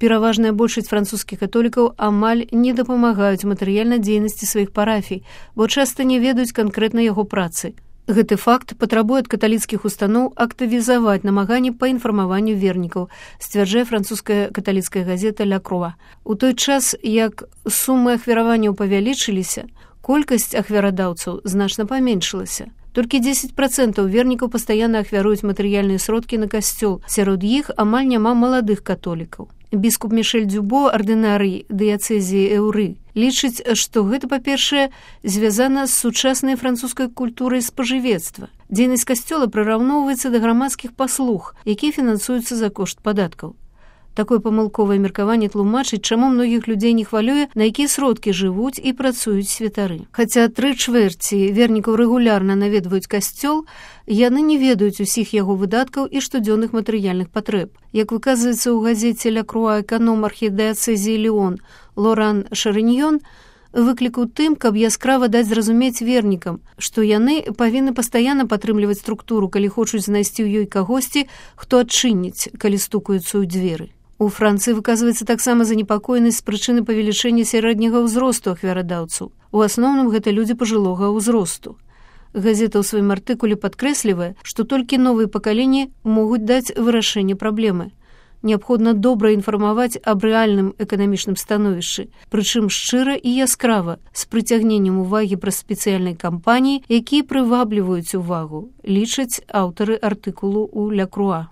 Пераважная большасць французскіх католікаў амаль не дапамагаюць матэрыяльнай дзейнасці сваіх парафій, бо часта не ведаюць канкрэтна яго працы. Гэты факт патрабуе ад каталіцкіх устаноў актывізаваць намаганні па інфармаванню вернікаў, сцвярджае французская каталіцкая газета «Ля Круа». У той час, як сумы ахвяраванняў павялічыліся, колькасць ахвярадаўцаў значна паменшылася. Толькі 10% вернікаў пастаянна ахвяруюць матэрыяльныя сродкі на касцёл, сярод іх амаль няма маладых католікаў. Біскуп Мішэль Дзюбо, ардынарый дыяцэзіі Эўры, лічыць, што гэта, па-першае, звязана з сучаснай французскай культурай спажывецтва. Дзейнасць касцёла прыраўноўваецца да грамадскіх паслуг, якія фінансуюцца за кошт падаткаў. Такое памылковае меркаванне тлумачыць, чаму многіх людзей не хвалюе, на якія сродкі жывуць і працуюць святары. Хаця 3/4 вернікаў рэгулярна наведваюць касцёл, яны не ведаюць усіх яго выдаткаў і штодзённых матэрыяльных патрэб. Як выказваецца ў газеце «Ля Круа» эканом архідыяцэзіі Леон Лоран Шарыньён, выклік у тым, каб яскрава даць зразумець вернікам, што яны павінны пастаянна падтрымліваць структуру, калі хочуць знайсці ў ёй кагосьці, хто адчыніць, калі стукаюцца ў дзверы. У Францыі выказваецца таксама занепакоенасць з прычыны павелічэння сярэдняга ўзросту ахвярадаўцаў. У асноўным гэта людзі пажылога ўзросту. Газета ў сваім артыкуле падкрэслівае, што толькі новыя пакаленні могуць даць вырашэнне праблемы. Неабходна добра інфармаваць аб рэальным эканамічным становішчы, прычым шчыра і яскрава, з прыцягненнем увагі праз спецыяльнай кампаніі, якія прывабліваюць увагу, лічаць аўтары артыкулу ў «Ля Круа».